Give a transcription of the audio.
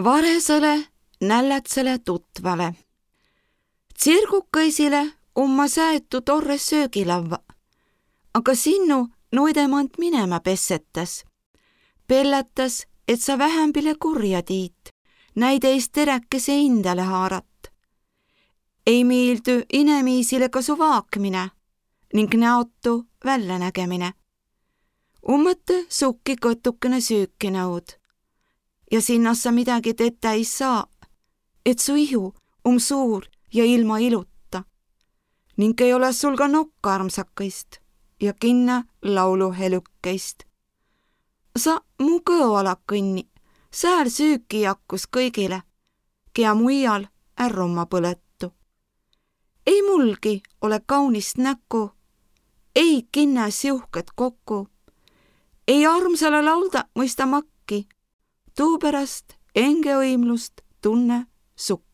Varesõle nällätsele tutvale. Tsirgukaisile ma säetu torre söögilavva, aga sinnu noidemant minema pessetas. Pelletas, et sa vähämbile kurja tiit, näideis teräkese indale haarat. Ei miildy inemiisile ka su vaakmine ning näotu välja nägemine. Ummõtte sukki kõtukene süüki nõud ja sinnas sa midagi tette ei saa, et su ihu suur ja ilma iluta ning ei ole sul ka nokka armsakaist ja kinna lauluhelukkeist. Sa mu kõoala kõnni, sääl süüki jakkus kõigile, kea muial ärrumma põletu. Ei mulgi ole kaunist näkku, ei kinnas juhked kokku, ei armsale laulda mõista makki, tuupärast enge õimlust tunne sukk.